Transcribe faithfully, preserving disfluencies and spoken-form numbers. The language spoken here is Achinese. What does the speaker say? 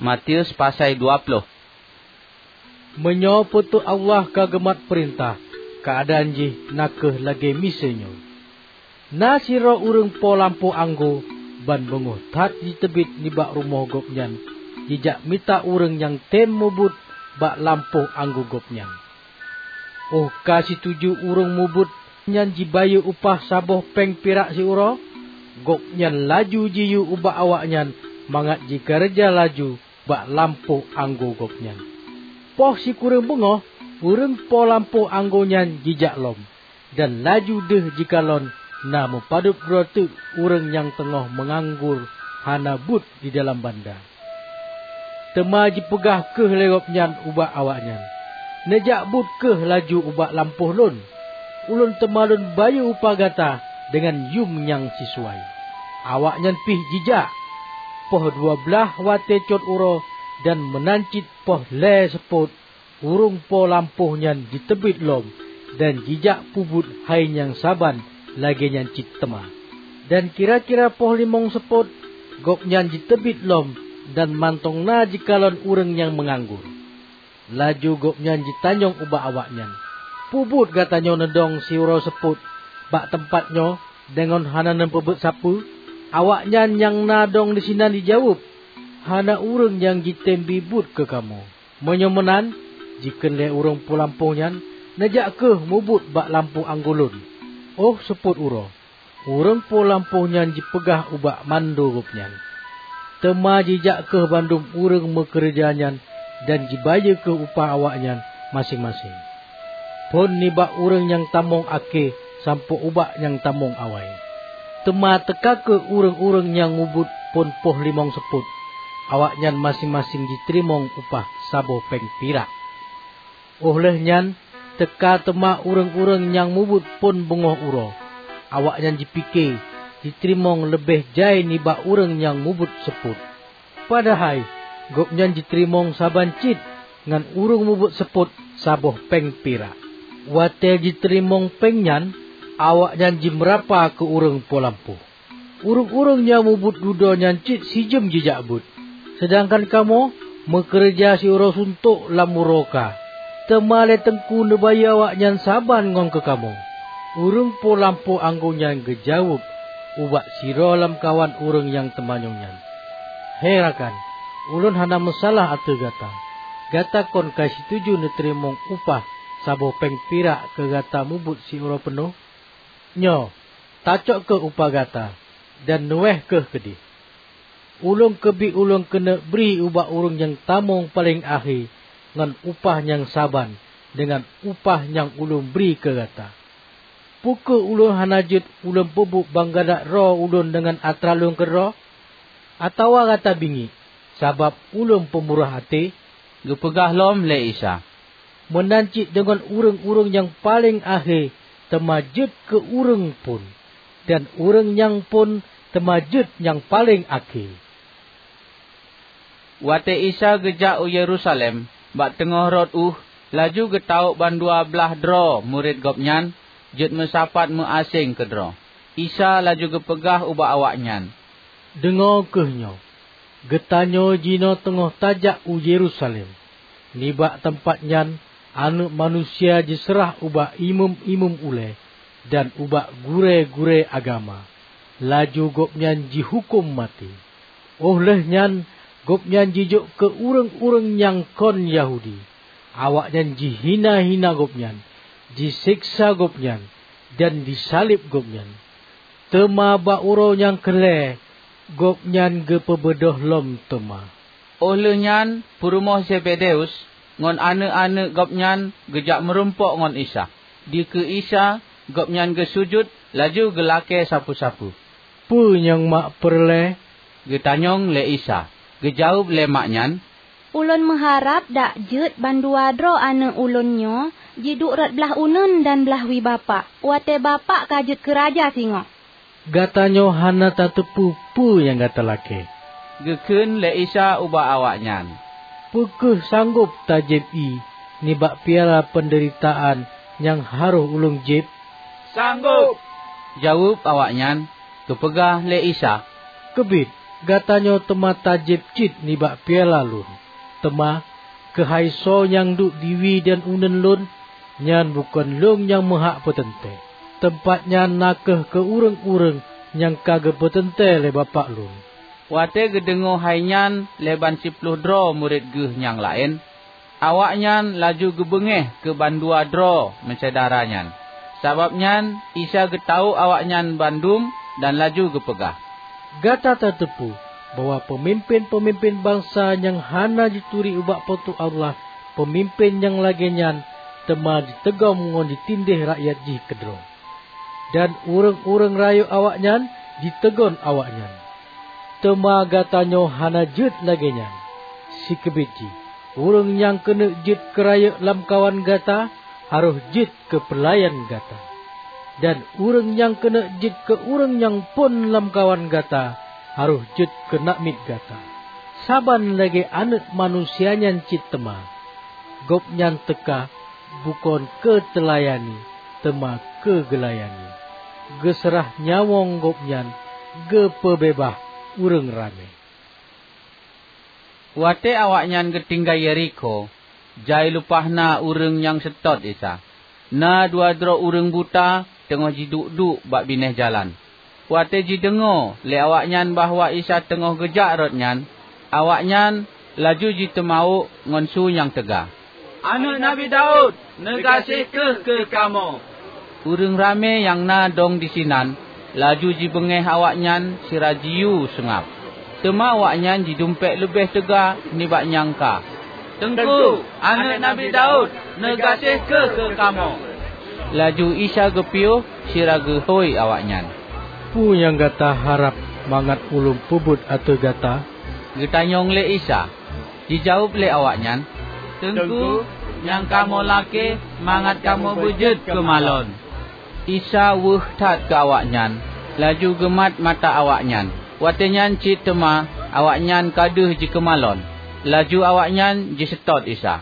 Matius pasai dua ploh. Meunyoe Po teu Allah ka geumat peurintah, keuadaan jih na kheueh lagée miseue nyoe. Na sidroe ureuëng po lampôh anggô ban beungoh that jiteubiet nibak rumoh gobnyan jijak mita ureuëng nyang tem mubuet bak lampôh anggô gobnyan. Óh ka situju ureuëng mubuet nyan jibayeue upah saboh péng pirak siuroe, gobnyan laju jiyue ubak awaknyan mangat jikeureuja laju bak lampôh anggô gobnyan. Poh sikureueng beungoh, ureuëng po lampôh anggô nyan jijak lom, dan laju deuh jikalon na meupadub droe teuk ureuëng nyang teungoh meunganggur hana buet di dalam banda. Teuma jipeugah kheueh lé gobnyan ubak awaknyan, "Neujak buet kheueh laju ubak lampôh lôn. Ulôn teuma lôn bayeue upah gata deungon yuem nyang sisuai." Awaknyan pih jijak. Poh dua blaih watée cot uroe dan meunan cit poh lhée seupôt, ureuëng po lampôh nyan jiteubiet lom dan jijak peubuet hai nyang saban lagée nyan cit teuma. Dan kira-kira poh limong seupôt, gobnyan jiteubiet lom dan mantong na jikalon ureuëng nyang meunganggur. Laju gobnyan jitanyong ubak awaknyan, "Peue buet gata nyoe neudong siuroe seupôt bak teumpat nyoe deungon hana neupeubuet sapeue?" Awaknyan nyang na dong disinan jijaweueb, "Hana ureuëng nyang jitem bi buet keu kamoe. Meunyoe meunan," jikheun lé ureuëng po lampôh nyan, "neujak kheueh mubuet bak lampôh anggô lôn." Óh seupôt uroe, ureuëng po lampôh nyan jipeugah ubak mandum gobnyan. Teuma jijak kheueh bandum ureuëng meukeureuja nyan dan jibayeue kheueh upah awaknyan maséng-maséng, phon nibak ureuëng nyang tamong akhé sampoe ubak nyang tamong awai. Teuma teuka kheueh ureuëng-ureuëng nyang mubuet phon poh limong seupôt, awaknyan maséng-maséng jiteurimong upah saboh péng pirak. Óh lheueh nyan, teuka teuma ureuëng-ureuëng nyang mubuet phon beungoh uroe. Awaknyan jipike jiteurimong leubeh jai nibak ureuëng nyang mubuet seupôt. Padahai gobnyan jiteurimong saban cit ngon ureuëng mubuet seupôt saboh péng pirak. Watée jiteurimong péng nyan, awaknyan jimeurapa keu ureuëng po lampôh. "Ureuëng-ureuëng nyang mubuet dudoe nyan cit sijeuem jijak beuet, seudangkan kamoe meukeureuja siuroe suntok lam uroe ka. Teuma lé Teungku neubayeue awaknyan saban ngon keu kamoe." Ureuëng po lampôh anggô nyan geujaweueb ubak sidroe lamkawan ureuëng nyang teumanyong nyan, "He rakan, ulôn hana meusalah ateueh gata. Gata kon ka situju neuteurimong upah saboh péng pirak keu gata mubuet siuroe peunoh? Nyoe, tacok kheueh upah gata dan neuwéh kheueh keudeh. Ulôn keubiet ulôn keuneuk bri ubak ureuëng nyang tamong paleng akhé ngon upah nyang saban deungon upah nyang ulôn bri keu gata. Peu kheueh ulôn hana jeuet ulôn peubuet banggada droe ulôn deungon atra lôn keudroe? Atawa gata bingiek sabab ulôn peumurah até?" Geupeugah lom lé Isa, "Meunan cit deungon ureuëng-ureuëng nyang paleng akhé teuma jeuet keu ureuëng phon, dan ureuëng nyang phon teuma jeuet nyang paleng akhé." Watée Isa geujak u Yerusalem, bak teungoh rot ueh, laju geutawök bandua blaih droe murit Gobnyan jeuet meusapat meuaséng keudroe. Isa laju geupeugah ubak awaknyan, "Deungoe kheueh nyoe! Geutanyoe jinoe teungoh tajak u Yerusalem. Nibak teumpat nyan Aneuëk Manusia jiseurah ubak imeum-imeum ulée dan ubak gurée-gurée agama, laju Gobnyan jihuköm maté. Óh lheueh nyan Gobnyan jijok keu ureuëng-ureuëng nyang kon Yahudi. Awaknyan jihina-hina Gobnyan, jiseksa Gobnyan, dan jisaleb Gobnyan. Teuma bak uroe nyang keu lhée Gobnyan geupeubeudôh lom teuma." Óh lheueh nyan peurumoh Zebedeus ngon aneuëk-aneuëk gobnyan geujak meurumpok ngon Isa. Dikeue Isa, Gobnyan geusujut laju geulakée sapeue-sapeue. "Peue nyang mak peureulée?" geutanyong lé Isa. Geujaweueb lé mak nyan, "Ulôn meuharab dak jeuet bandua droe aneuëk ulôn nyoe jiduek rot blaih uneuen dan blaih wie bapak, watée bapak ka jeuet keu raja singoh." "Gata nyoe hana tateupeue peue nyang gata lakée," geukheun lé Isa ubak awaknyan. "Peu kheueh sanggob tajieb ié nibak piala peundeuritaan nyang harôh ulôn jieb?" "Sanggob," jaweueb awaknyan. Geupeugah lé Isa, "Keubiet, Gata nyoe teuma tajieb cit nibak piala Lôn. Teuma, keuhai soe nyang duek diwie dan uneuen Lôn, nyan bukon Lôn nyang meuhak peuteuntée. Teumpat nyan na kheueh keu ureuëng-ureuëng nyang ka geupeuteuntée lé Bapak Lôn." Watée geudeungoe hai nyan lé ban siploh droe murit Geuh nyang laén, awaknyan laju geubeungéh keu bandua droe meusyedara nyan. Sabab nyan, Isa geutawök awaknyan bandum dan laju geupeugah, "Gata tateupeue bahwa peumimpén-peumimpén bansa nyang hana jituri ubak Po teu Allah, peumimpén nyang lagée nyan teuma jiteugom ngon jitindéh rakyat jih keudroe. Dan ureuëng-ureuëng rayeuk awaknyan jiteugon awaknyan. Teuma gata nyoe hana jeuet lagée nyan. Sikeubit jih, ureuëng nyang keuneuk jeuet keu rayeuk lamkawan gata, harôh jeuet keu peulayan gata. Dan ureuëng nyang keuneuk jeuet keu ureuëng nyang phon lamkawan gata, harôh jeuet keu namiet gata. Saban lagée Aneuëk Manusia nyan cit teuma. Gobnyan teuka bukon keu teulayani, teuma keu geulayani. Geuseurah nyawöng Gobnyan geupeubeubaih ureuëng ramé." Watée awaknyan geutinggai Yerikho, jai lumpah na ureuëng nyang seutôt Isa. Na dua droe ureuëng buta teungoh jiduek-duek bak binéh jalan. Watée jideungoe lé awaknyan bahwa Isa teungoh geujak rot nyan, awaknyan laju jiteumawök ngon su nyang teuga, "Aneuëk Nabi Daud, neugaséh kheueh keu kamoe!" Ureuëng ramé nyang na dong disinan laju jibeungéh awaknyan sira jiyue seungab. Teuma awaknyan jidumpék leubeh teuga nibak nyang ka, "Teungku, Aneuëk Nabi Daud, neugaséh kheueh keu kamoe!" Laju Isa geupiôh sira geuhôi awaknyan, "Peue nyang gata harab mangat Ulôn peubuet ateueh gata?" geutanyong lé Isa. Jijaweueb lé awaknyan, "Teungku, nyang kamoe lakée mangat kamoe beujeuet keu malon." Isa weueh that keu awaknyan, laju geumat mata awaknyan. Watée nyan cit teuma awaknyan ka deuh jikeumalon, laju awaknyan jiseutôt Isa.